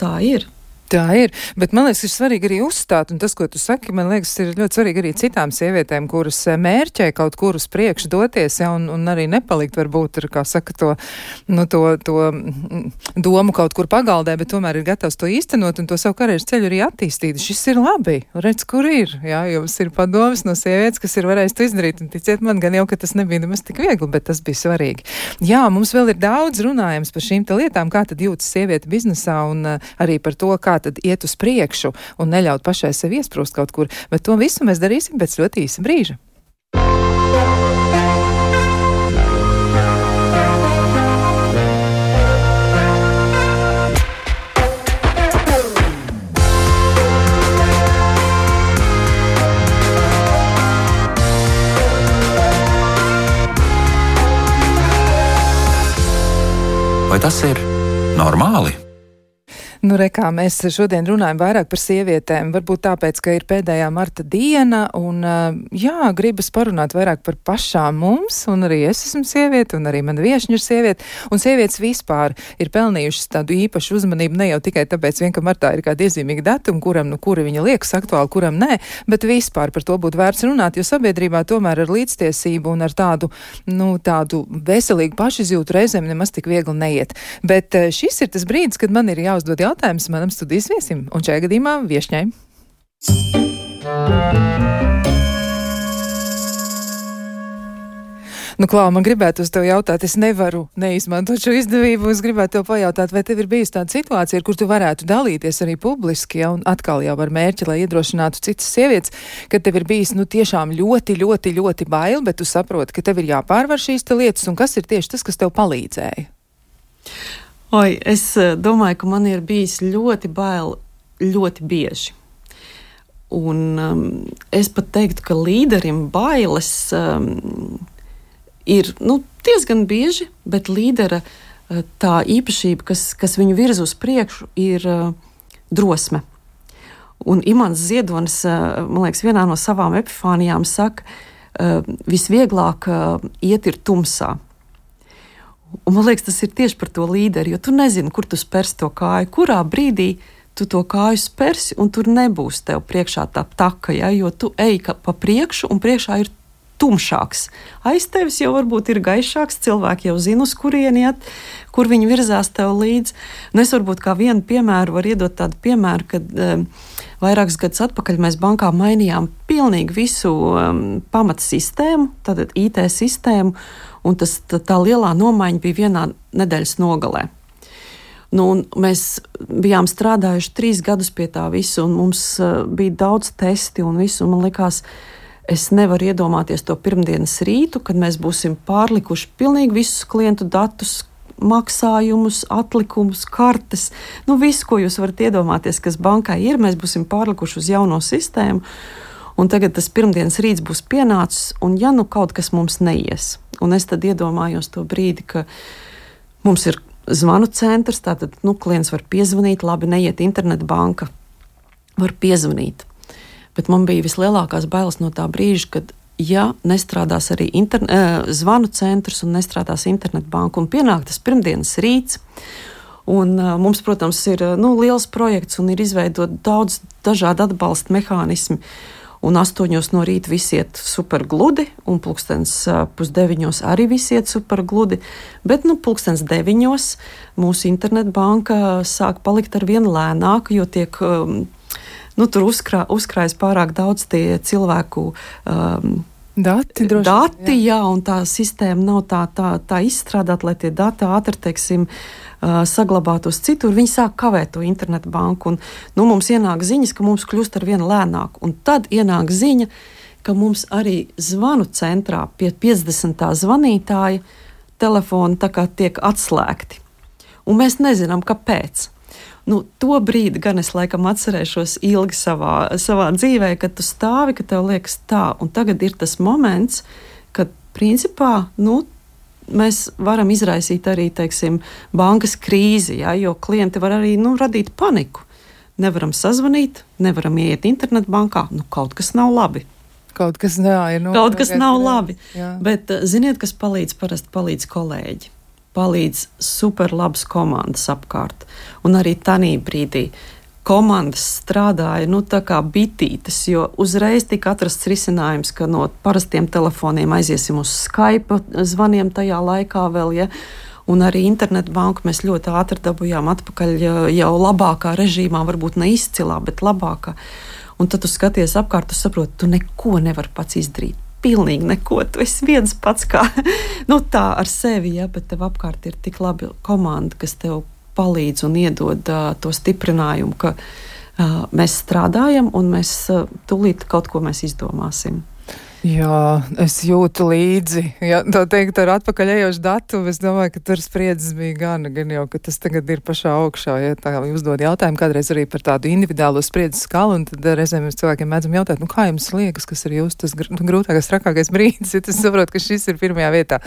tā ir. Tā ir, bet man liekas, ir svarīgi arī uzstāt, un tas, ko tu saki, man liekas, ir ļoti svarīgi arī citām sievietēm, kuras mērķē kaut kur uz priekšu doties, ja, un arī nepalikt varbūt ar, kā saka, to domu kaut kur pagaldē, bet tomēr ir gatavs to īstenot un to savu karjeras ceļu arī attīstīt. Šis ir labi, redz, kur ir, jā, jums ir padomas no sievietes, kas ir varējis to izdarīt, un ticiet man gan jau, ka tas nebija nemaz tik viegli, bet tas bija svarīgi. Jā, mums vēl ir daudz runājums par šīm te lietām, kā tad jūtas sieviete biznesā un arī par to, kā tad iet uz priekšu un neļaut pašai sev iesprūst kaut kur, bet to visu mēs darīsim pēc ļoti īsa brīža. Vai tas ir normāli? Nu, kā mēs šodien runājam vairāk par sievietēm, varbūt tāpēc, ka ir pēdējā marta diena, un gribas parunāt vairāk par pašām mums, un arī es esmu sieviete, un arī mana viešņa ir sieviete, un sievietes vispār ir pelnījušas tādu īpašu uzmanību, ne jau tikai tāpēc, ka martā ir kādi iezīmīgi datumi, kuri viņa liekas aktuāli, kuram nē, bet vispār par to būtu vērts runāt, jo sabiedrībā tomēr ar līdztiesību un ar tādu veselīgu pašizjūtu reizēm nemaz tik viegli neiet. Bet šis ir tas brīdis, kad man ir jāuzdod jautājums manam studijas viesim, un šajā gadījumā viešņai. Klau, man gribētu uz tevi jautāt, es nevaru neizmantot šo izdevību, es gribētu tev pajautāt, vai tev ir bijusi tāda situācija, kur tu varētu dalīties arī publiski, un atkal jau ar mērķi, lai iedrošinātu citas sievietes, kad tev ir bijis, tiešām ļoti, ļoti, ļoti bail, bet tu saproti, ka tev ir jāpārvar šīs lietas, un kas ir tieši tas, kas tev palīdzēja? Es domāju, ka man ir bijis ļoti bail ļoti bieži. Un es pat teiktu, ka līderim bailes ir diezgan bieži, bet līdera tā īpašība, kas viņu virza uz priekšu, ir drosme. Un Imants Ziedonis, man liekas, vienā no savām epifānijām saka, visvieglāk iet ir tumsā. Un man liekas, tas ir tieši par to līderi, jo tu nezini, kur tu spers to kāju, kurā brīdī tu to kāju spersi, un tur nebūs tev priekšā tā taka, jo tu ej pa priekšu, un priekšā ir tumšāks. Aiz tevis jau varbūt ir gaišāks, cilvēki jau zina, uz kurieni iet, kur viņi virzās tev līdzi. Es varbūt kā vienu piemēru var iedot tādu piemēru, kad vairākus gadus atpakaļ mēs bankā mainījām pilnīgi visu pamatsistēmu, tātad IT sistēmu, un tā lielā nomaiņa bija vienā nedēļas nogalē. Mēs bijām strādājuši 3 gadus pie tā visu, un mums bija daudz testi un visu, un man likās, es nevaru iedomāties to pirmdienas rītu, kad mēs būsim pārlikuši pilnīgi visus klientu datus, maksājumus, atlikumus, kartes, visu, ko jūs varat iedomāties, kas bankai ir, mēs būsim pārlikuši uz jauno sistēmu, un tagad tas pirmdienas rīts būs pienācis, un kaut kas mums neies. Un es tad iedomājos to brīdi, ka mums ir zvanu centrs, tātad, klients var piezvanīt, labi, neiet internetbanka, var piezvanīt. Bet man bija vislielākās bailes no tā brīža, kad, nestrādās arī zvanu centrs un nestrādās internetbanka, un pienāk tas pirmdienas rīts, un mums, protams, ir liels projekts un ir izveidot daudz dažādu atbalsta mehānismi, un 8 no rīta visi iet super gludi, un 8:30 arī visi iet super gludi, bet 9:00 mūsu internetbanka sāk palikt ar vien lēnāk, jo tiek tur uzkrājas pārāk daudz tie cilvēku dati, un tā sistēma nav tā izstrādāta, lai tie dati ātri, saglabātos citur. Viņi sāk kavēt to internetu banku, un mums ienāk ziņas, ka mums kļūst ar vien lēnāk, un tad ienāk ziņa, ka mums arī zvanu centrā pie 50. zvanītāja telefoni tiek atslēgti, un mēs nezinām, kāpēc. To brīdi gan es laikam atcerēšos ilgi savā dzīvē, kad tu stāvi, ka tev liekas tā, un tagad ir tas moments, kad principā, mēs varam izraisīt arī, bankas krīzi, jo klienti var arī, radīt paniku. Nevaram sazvanīt, nevaram iet internetbankā, kaut kas nav labi. Kaut kas nav labi. Jā. Bet ziniet, kas parasti palīdz kolēģi. Palīdz superlabas komandas apkārt. Un arī tanī brīdī komandas strādāja tā kā bitītes, jo uzreiz tika atrasts risinājums, ka no parastiem telefoniem aiziesim uz Skype zvaniem tajā laikā vēl, un arī internetbanku mēs ļoti ātri dabujām atpakaļ jau labākā režīmā, varbūt ne izcilā, bet labākā. Un tad tu skaties apkārt, tu saproti, tu neko nevari pats izdarīt. Pilnīgi neko, tu esi viens pats kā, tā ar sevi, bet tev apkārt ir tik labi komanda, kas tev palīdz un iedod to stiprinājumu, ka mēs strādājam un mēs tūlīt kaut ko mēs izdomāsim. Jā, es jūtu līdzi. Jā, tā teikt, ar atpakaļējošu datu, es domāju, ka tur spriedzes bija gan jau, ka tas tagad ir pašā augšā. Ja tā uzdod jautājumu kādreiz arī par tādu individuālo spriedzes skalu, un tad reizēm mēs cilvēkiem mēdzam jautāt, kā jums liekas, kas ir jūs tas grūtākais, trakākais brīdis, ja tas saprot, ka šis ir pirmajā vietā.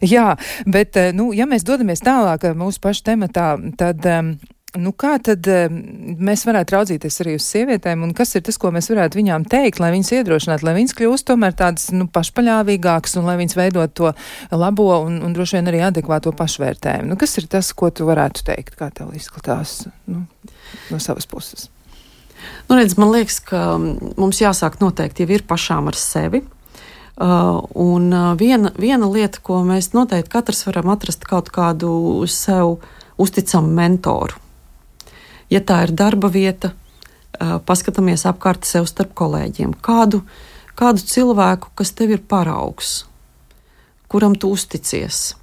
Jā, bet, ja mēs dodamies tālāk mūsu pašu tematā, tad Nu, kā tad mēs varētu raudzīties arī uz sievietēm, un kas ir tas, ko mēs varētu viņām teikt, lai viņas iedrošinātu, lai viņas kļūst tomēr tādas, pašpaļāvīgākas, un lai viņas veidot to labo un droši vien arī adekvāto pašvērtējumu? Nu, kas ir tas, ko tu varētu teikt, kā tev izskatās, no savas puses? Redz, man liekas, ka mums jāsāk noteikti jau ir pašām ar sevi. Un viena lieta, ko mēs noteikti katrs varam atrast kaut kādu sev uzticamu mentoru. Ja tā ir darba vieta, paskatāmies apkārt sev starp kolēģiem. Kādu cilvēku, kas tev ir paraugs, kuram tu uzticies.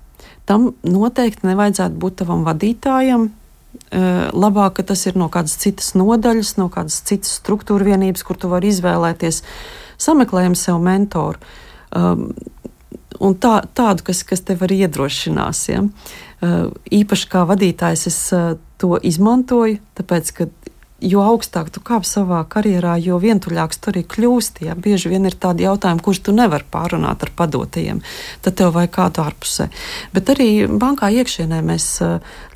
Tam noteikti nevajadzētu būt tavam vadītājam. Labāk, ka tas ir no kādas citas nodaļas, no kādas citas struktūra vienības, kur tu vari izvēlēties. Sameklējam sev mentoru. Un tādu, kas tev arī iedrošinās. Ja? Īpaši kā vadītājs es to izmantoju, tāpēc, ka jo augstāk tu kāp savā karjerā, jo vientuļāks tu arī kļūsti. Ja? Bieži vien ir tādi jautājumi, kurus tu nevari pārunāt ar padotajiem. Tad tev vajag kādu ārpusē. Bet arī bankā iekšienē mēs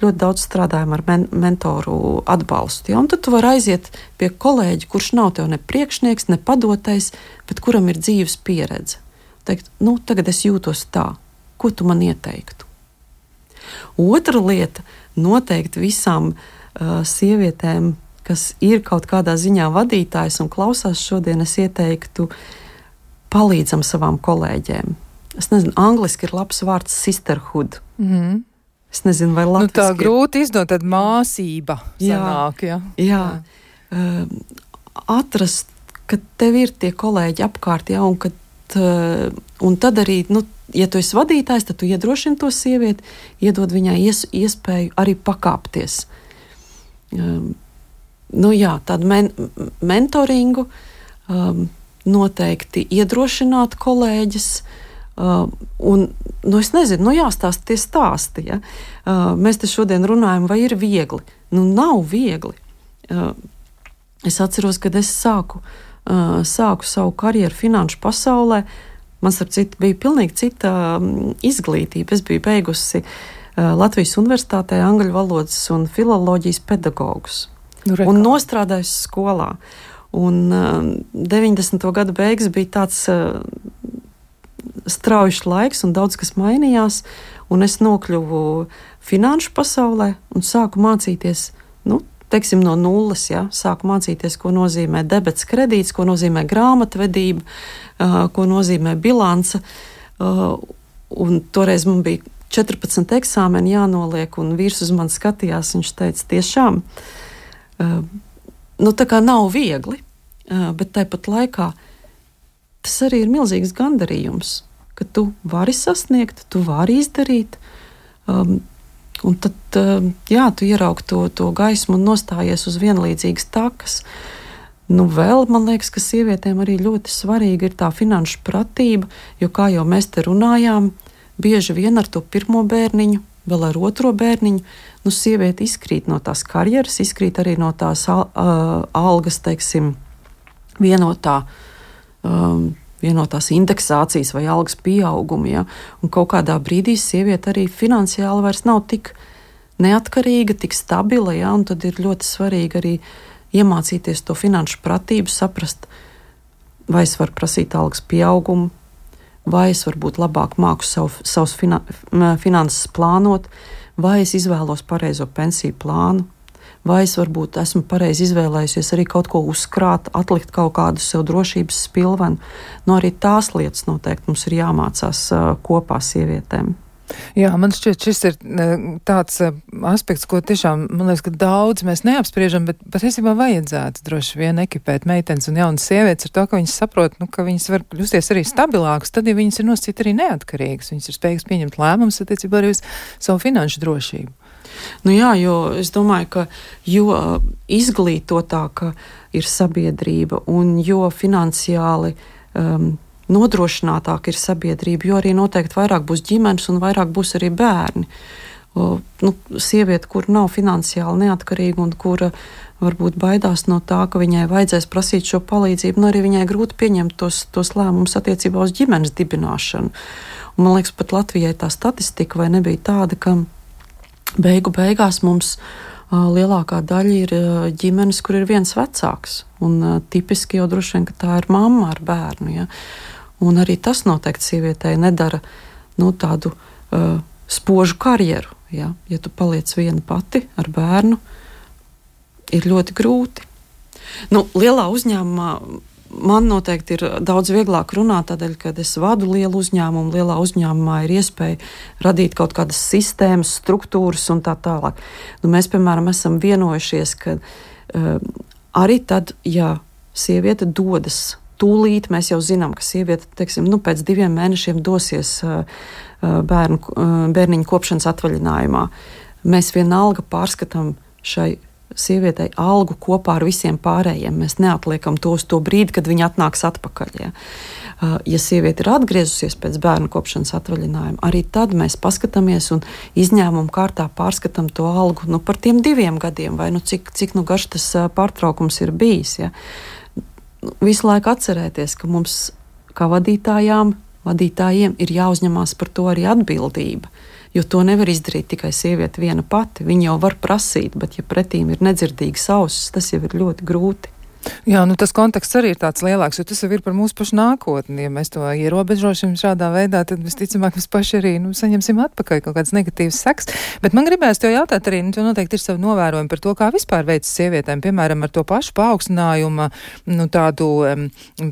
ļoti daudz strādājam ar mentoru atbalstu. Ja? Un tad tu vari aiziet pie kolēģa, kurš nav tev ne priekšnieks, ne padotais, bet kuram ir dzīves pieredze. Teikt, tagad es jūtos tā. Ko tu man ieteiktu? Otra lieta, noteikti visām sievietēm, kas ir kaut kādā ziņā vadītājs un klausās šodien, es ieteiktu palīdzam savām kolēģiem. Es nezinu, angliski ir labs vārds sisterhood. Mm-hmm. Es nezinu, vai latviski tā grūti izdot, tad māsība sanāk, ja? Jā. Atrast, ka tev ir tie kolēģi apkārt, ja, un tad arī, ja tu esi vadītājs, tad tu iedrošini to sievieti, iedod viņai iespēju arī pakāpties. Tādu mentoringu, noteikti iedrošināt kolēģis, un, es nezinu, jāstāsta tie stāsti, ja? Mēs te šodien runājam, vai ir viegli? Nav viegli. Es atceros, kad es sāku savu karjeru finanšu pasaulē, man starp citu bija pilnīgi cita izglītība. Es biju beigusi Latvijas Universitātē angļu valodas un filoloģijas pedagogus. Un nostrādājusi skolā. Un 90. gada beigas bija tāds straujš laiks un daudz kas mainījās, un es nokļuvu finanšu pasaulē un sāku mācīties, teiksim, no nulles, ja? Sāku mācīties, ko nozīmē debets kredīts, ko nozīmē grāmatvedība, ko nozīmē bilance, un toreiz man bija 14 eksāmeni jānoliek, un vīrs uz mani skatījās, viņš teica, tiešām, tā kā nav viegli, bet tāpat laikā tas arī ir milzīgs gandarījums, ka tu vari sasniegt, tu vari izdarīt, un tad, tu ieraugi to gaismu un nostājies uz vienlīdzīgas takas. Vēl, man liekas, ka sievietēm arī ļoti svarīga ir tā finanšu pratība, jo, kā jau mēs te runājām, bieži vien ar to pirmo bērniņu, vēl ar otro bērniņu, sieviete izkrīt no tās karjeras, izkrīt arī no tās algas, teiksim, vienotās indeksācijas vai algas pieauguma, ja? Un kaut kādā brīdī sieviete arī finansiāli vairs nav tik neatkarīga, tik stabila, ja? Un tad ir ļoti svarīgi arī iemācīties to finanšu pratību, saprast, vai es varu prasīt algas pieaugumu, vai es varbūt labāk māku savus finanses plānot, vai es izvēlos pareizo pensiju plānu, vai es varbūt esmu pareizi izvēlējusies arī kaut ko uzkrāt, atlikt kaut kādu sev drošības spilvenu. Arī tās lietas noteikti mums ir jāmācās kopā sievietēm. Jā, man šķiet, šis ir tāds aspekts, ko tiešām, man liekas, ka daudz mēs neapspriežam, bet patiesībā vajadzētu droši vien ekipēt meitenes un jaunas sievietes ar to, ka viņas saprot, ka viņas var kļūsties arī stabilākas, tad, ja viņas ir nosacīt arī neatkarīgas, viņas ir spējīgas pieņemt lēmumus attiecībā arī uz savu finanšu drošību. Jo es domāju, ka jo izglītotāka ir sabiedrība un jo finansiāli nodrošinātāka ir sabiedrība, jo arī noteikti vairāk būs ģimenes un vairāk būs arī bērni. Sieviete, kur nav finansiāli neatkarīga un kura varbūt baidās no tā, ka viņai vajadzēs prasīt šo palīdzību, arī viņai grūti pieņemt tos lēmumus attiecībā uz ģimenes dibināšanu. Un man liekas, pat Latvijai tā statistika vai nebija tāda, ka beigās mums lielākā daļa ir ģimenes, kur ir viens vecāks. Un tipiski jau droši vien, ka tā ir mamma ar bērnu. Ja? Un arī tas noteikti sievietei nedara tādu spožu karjeru. Ja? Ja tu paliec viena pati ar bērnu, ir ļoti grūti. Lielā uzņēmumā man noteikti ir daudz vieglāk runāt, tādēļ, kad es vadu lielu uzņēmumu. Lielā uzņēmumā ir iespēja radīt kaut kādas sistēmas, struktūras un tā tālāk. Mēs, piemēram, esam vienojušies, ka arī tad, ja sieviete dodas tūlīt, mēs jau zinām, ka sieviete, teiksim, pēc 2 mēnešiem dosies bērniņu kopšanas atvaļinājumā. Mēs vienalga pārskatām šai sievietei algu kopā ar visiem pārējiem. Mēs neatliekam to uz to brīdi, kad viņa atnāks atpakaļ. Ja, ja sieviete ir atgriezusies pēc bērnu kopšanas atvaļinājuma, arī tad mēs paskatāmies un izņēmumu kārtā pārskatām to algu par tiem 2 gadiem, vai cik garš tas pārtraukums ir bijis. Ja. Visu laiku atcerēties, ka mums, kā vadītājiem, ir jāuzņemās par to arī atbildība. Jo to nevar izdarīt tikai sieviete viena pati. Viņa jau var prasīt, bet ja pretīm ir nedzirdīgas ausis, tas jau ir ļoti grūti. Jā, tas konteksts arī ir tāds lielāks, jo tas jau ir par mūsu pašu nākotni. Ja mēs to ierobežošam šādā veidā, tad visticamāk mēs paši arī saņemsim atpakaļ kaut kādas negatīvas sekas. Bet man gribēs tev jautāt arī, tu noteikti ir savu novērojumu par to, kā vispār veicas sievietēm, piemēram, ar to pašu paaugstinājuma, tādu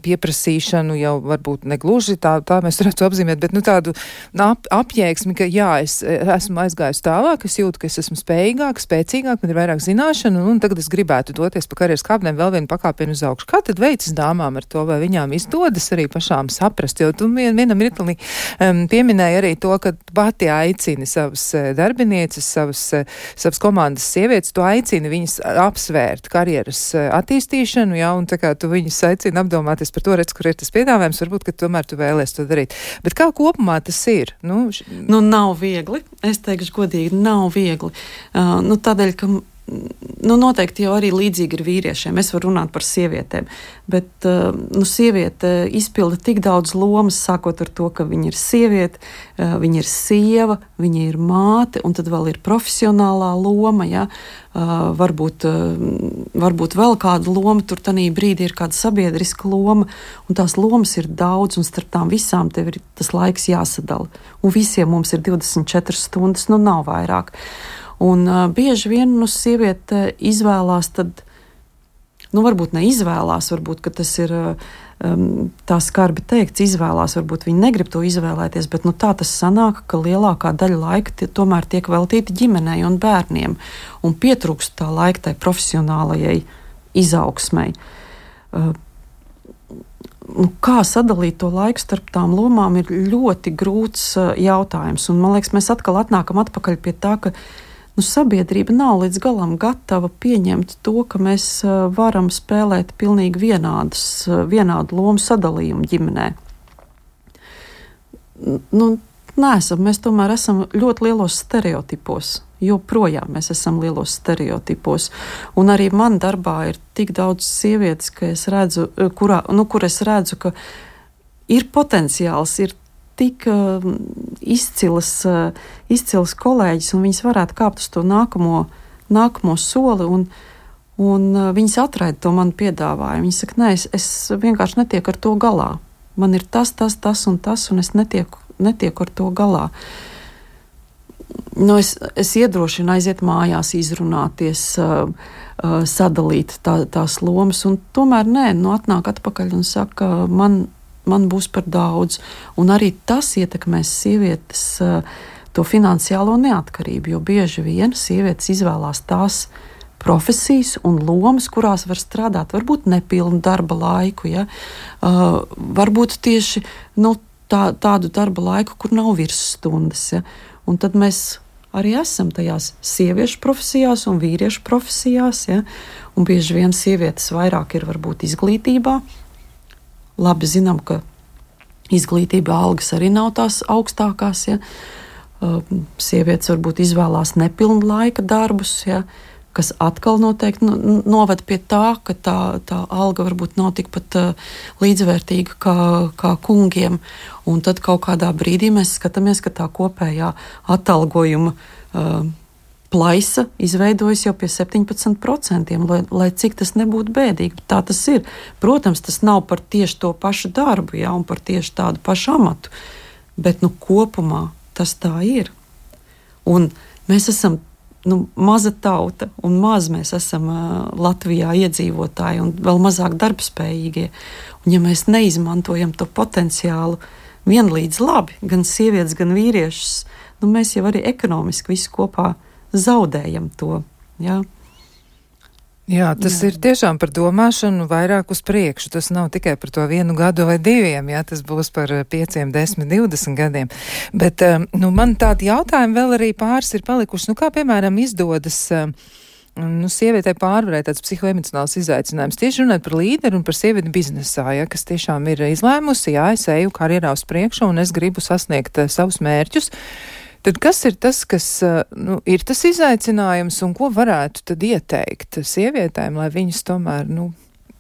pieprasīšanu, jau varbūt negluži tā mēs varētu apzīmēt, bet tādu apjēgsmi, ka jā, es esmu aizgājis tālāk, es jūtu, ka es esmu spējīgāk, spēcīgāk, man ir vairāk zināšanu, un tagad es gribētu doties pa karjeras kāpnēm vēl vienu pakāpienu uz augšu. Kā tad veicas dāmām ar to, vai viņām izdodas arī pašām saprast? Jo tu vienam mirklī pieminēji arī to, ka pati aicini savas darbinieces, savas komandas sievietes, tu aicini viņas apsvērt karjeras attīstīšanu, ja, un tā kā tu viņas aicini apdomāties par to, redz, kur ir tas piedāvājums, varbūt, ka tomēr tu vēlies to darīt. Bet kā kopumā tas ir? Nav viegli. Es teikšu godīgi, nav viegli. Tādēļ, ka noteikti jau arī līdzīgi ir vīriešiem. Es varu runāt par sievietēm, bet sieviete izpilda tik daudz lomas, sākot ar to, ka viņa ir sieviete, viņa ir sieva, viņa ir māte, un tad vēl ir profesionālā loma, ja? Varbūt vēl kāda loma, tur tanī brīdī ir kāda sabiedriska loma, un tās lomas ir daudz, un starp tām visām tev ir tas laiks jāsadala. Un visiem mums ir 24 stundas, nav vairāk. Un bieži vien sieviete izvēlās, tad, varbūt neizvēlās, varbūt, ka tas ir tā skarbi teikts, izvēlās, varbūt viņi negrib to izvēlēties, bet tā tas sanāk, ka lielākā daļa laika tomēr tiek veltīta ģimenei un bērniem, un pietrūkst tā laika tai profesionālajai izaugsmei. Kā sadalīt to laiku starp tām lomām ir ļoti grūts jautājums, un man liekas, mēs atkal atnākam atpakaļ pie tā, ka sabiedrība nav līdz galam gatava pieņemt to, ka mēs varam spēlēt pilnīgi vienādu lomu sadalījumu ģimenē. Mēs tomēr esam ļoti lielos stereotipos, joprojām mēs esam lielos stereotipos. Un arī man darbā ir tik daudz sievietes, ka es redzu, kur es redzu, ka ir potenciāls, ir tik izcils kolēģis, un viņas varētu kāpt uz to nākamo soli, un viņas atraida to manu piedāvājumu. Viņas saka, nē, es vienkārši netieku ar to galā. Man ir tas un tas, un es netieku ar to galā. Es iedrošinu aiziet mājās, izrunāties, sadalīt tās lomas, un tomēr atnāk atpakaļ un saka, man būs par daudz, un arī tas ietekmēs sievietes to finansiālo neatkarību, jo bieži vien sievietes izvēlās tās profesijas un lomas, kurās var strādāt, varbūt nepilnu darba laiku, ja? Varbūt tieši tādu darba laiku, kur nav virsstundas, ja? Un tad mēs arī esam tajās sieviešu profesijās un vīriešu profesijās, ja? Un bieži vien sievietes vairāk ir varbūt izglītībā. Labi zinām, ka izglītība algas arī nav tās augstākās, ja? Sievietes varbūt izvēlās nepilnu laika darbus, ja? Kas atkal noteikti noved pie tā, ka tā alga varbūt nav tikpat līdzvērtīga kā kungiem, un tad kaut kādā brīdī mēs skatāmies, ka tā kopējā atalgojuma plaisa izveidojas jau pie 17%, lai cik tas nebūtu bēdīgi. Tā tas ir. Protams, tas nav par tieši to pašu darbu, ja, un par tieši tādu pašu amatu, bet kopumā tas tā ir. Un mēs esam maza tauta, un maz mēs esam Latvijā iedzīvotāji, un vēl mazāk darbspējīgie. Un ja mēs neizmantojam to potenciālu vienlīdz labi, gan sievietes, gan vīriešus, mēs jau arī ekonomiski visi kopā zaudējam to. Ja? Jā, tas ir tiešām par domāšanu vairāk uz priekšu. Tas nav tikai par to 1 gadu vai 2, jā, tas būs par 5, 10, 20 gadiem. Bet, man tādi jautājumi vēl arī pāris ir palikuši. Kā, piemēram, izdodas sievietei pārvarēt tāds psihoemocionāls izaicinājums. Tieši runāt par līderi un par sievieti biznesā, ja, kas tiešām ir izlēmusi, jā, es eju karjerā uz priekšu un es gribu sasniegt savus mērķus. Tad kas ir tas, kas ir tas izaicinājums un ko varētu tad ieteikt sievietēm, lai viņas tomēr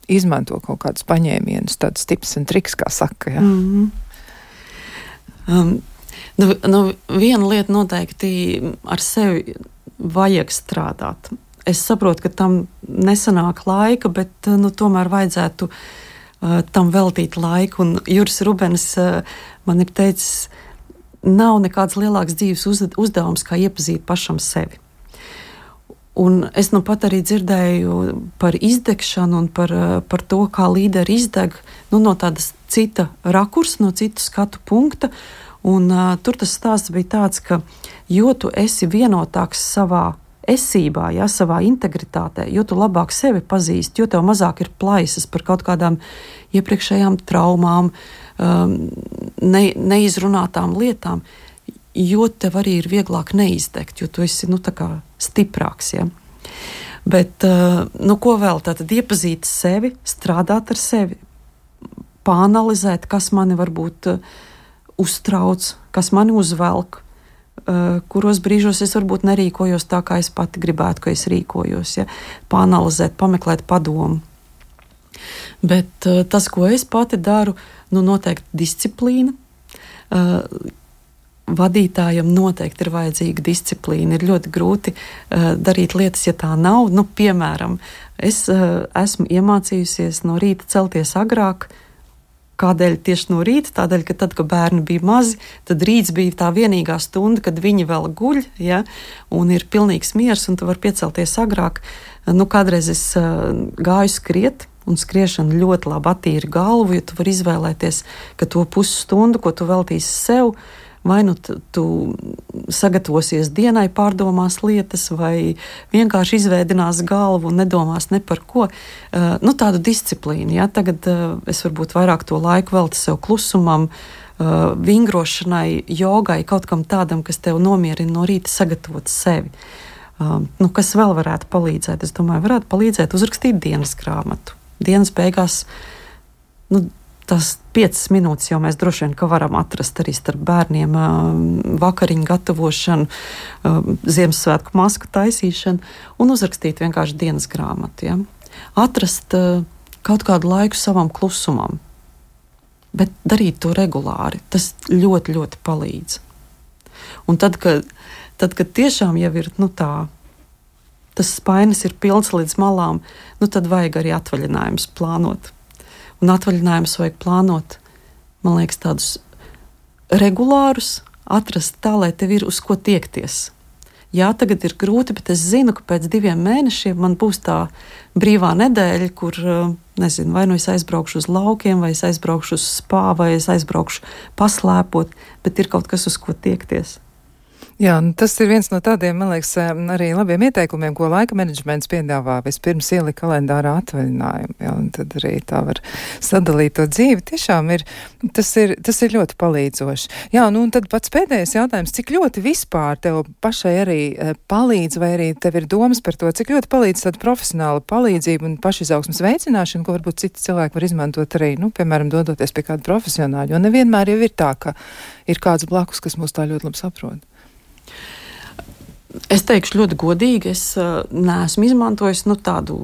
izmanto kaut kādus paņēmienus, tādus tips un triks, kā saka? Ja? Viena lieta noteikti ar sevi vajag strādāt. Es saprotu, ka tam nesanāk laika, bet tomēr vajadzētu tam veltīt laiku. Un Juris Rubens man ir teicis, nav nekāds lielāks dzīves uzdevums, kā iepazīt pašam sevi. Un es pat arī dzirdēju par izdegšanu un par to, kā līderi izdeg no tādas cita rakursa, no citu skatu punkta. Un tur tas stāsts bija tāds, ka jo tu esi vienotāks savā esībā, ja, savā integritātē, jo tu labāk sevi pazīsti, jo tev mazāk ir plaisas par kaut kādām iepriekšējām traumām, neizrunātām lietām, jo tev arī ir vieglāk neizdegt, jo tu esi stiprāks. Ja? Bet ko vēl? Tātad iepazīt sevi, strādāt ar sevi, pāanalizēt, kas mani varbūt uztrauc, kas mani uzvelk, kuros brīžos es varbūt nerīkojos tā, kā es pati gribētu, ka es rīkojos. Ja? Pāanalizēt, pameklēt padomu. Bet tas, ko es pati daru, noteikti disciplīna. Vadītājam noteikti ir vajadzīga disciplīna. Ir ļoti grūti darīt lietas, ja tā nav. Piemēram, es esmu iemācījusies no rīta celties agrāk. Kādēļ tieši no rīta? Tādēļ, ka tad, kad bērni bija mazi, tad rīts bija tā vienīgā stunda, kad viņi vēl guļ, ja, un ir pilnīgs miers, un tu vari piecelties agrāk. Kādreiz es gāju skriet, un skriešana ļoti labi attīra galvu, jo tu vari izvēlēties, ka to pusstundu, ko tu veltīsi sev, vai tu sagatavosies dienai, pārdomās lietas, vai vienkārši izvēdinās galvu un nedomās ne par ko. Tādu disciplīnu. Ja? Tagad es varbūt vairāk to laiku veltu sev klusumam, vingrošanai, jogai, kaut kam tādam, kas tev nomierina no rīta sagatavot sevi. Kas vēl varētu palīdzēt? Es domāju, varētu palīdzēt uzrakstīt dienas grāmatu. Dienas beigās, tās 5 minūtes jau mēs droši vien varam atrast arī starp bērniem, vakariņu gatavošanu, Ziemassvētku masku taisīšanu un uzrakstīt vienkārši dienas grāmatu. Ja? Atrast kaut kādu laiku savam klusumam, bet darīt to regulāri. Tas ļoti, ļoti palīdz. Un tad, kad tiešām jau ir tas spainis ir pilns līdz malām, tad vajag arī atvaļinājumus plānot. Un atvaļinājumus vajag plānot, man liekas, tādus regulārus, atrast tā, lai tev ir uz ko tiekties. Jā, tagad ir grūti, bet es zinu, ka pēc 2 mēnešiem man būs tā brīvā nedēļa, kur, vai es aizbraukšu uz laukiem, vai es aizbraukšu uz spā, vai es aizbraukšu paslēpot, bet ir kaut kas, uz ko tiekties. Jā, tas ir viens no tādiem, man liekas, arī labiem ieteikumiem, ko laika menedžments piedāvā. Vispirms ielika kalendārā atvaļinājumu, jā, un tad arī tā var sadalīt to dzīvi. Tiešām tas ir ļoti palīdzoši. Jā, un tad pats pēdējais jautājums, cik ļoti vispār tev pašai arī palīdz, vai arī tev ir domas par to, cik ļoti palīdz tāda profesionāla palīdzība un pašizaugsmes veicināšana, ko varbūt citi cilvēki var izmantot arī, piemēram, dodoties pie kāda profesionāļa, jo nevienmēr jau ir tā, ka ir kāds blakus, kas mūs tā ļoti labi saprot. Es teikšu ļoti godīgi, es neesmu izmantojis tādu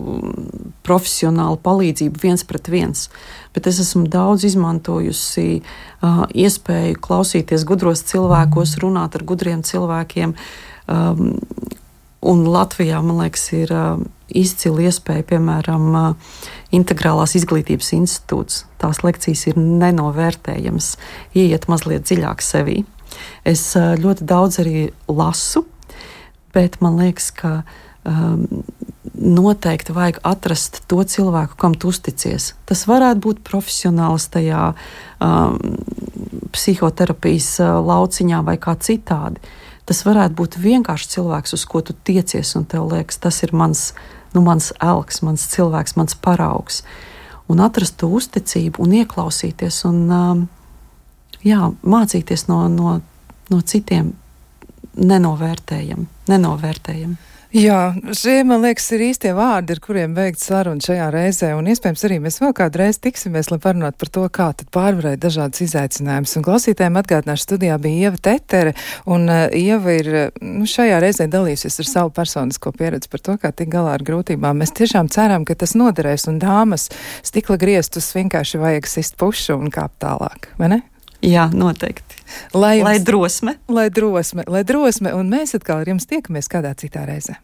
profesionālu palīdzību 1-1, bet es esmu daudz izmantojusi iespēju klausīties gudros cilvēkos, runāt ar gudriem cilvēkiem, Un Latvijā, man liekas, ir izcila iespēja, piemēram, Integrālās izglītības institūts. Tās lekcijas ir nenovērtējamas, ieiet mazliet dziļāk sevī. Es ļoti daudz arī lasu, bet man liekas, ka noteikti vajag atrast to cilvēku, kam tu uzticies. Tas varētu būt profesionāls tajā psihoterapijas lauciņā vai kā citādi. Tas varētu būt vienkārši cilvēks, uz ko tu tiecies, un tev liekas, tas ir mans elks, mans cilvēks, mans paraugs. Un atrast to uzticību un ieklausīties un mācīties no citiem nenovērtējam. Jā, šie, man liekas, ir īstie vārdi, ar kuriem veikt sarunu šajā reizē, un iespējams arī mēs vēl kādu reizi tiksimies, lai parunātu par to, kā tad pārvarēt dažādas izaicinājumus. Un klausītājiem atgādināšu, studijā bija Ieva Tetere, un Ieva ir šajā reizē dalījusies ar savu personisko pieredzi par to, kā tik galā ar grūtībām. Mēs tiešām ceram, ka tas noderēs, un dāmas stikla griestus vienkārši vajag sist pušu un kāpt tālāk, vai ne? Jā, noteikti. Lai drosme, un mēs atkal ar jums tiekamies kādā citā reizē.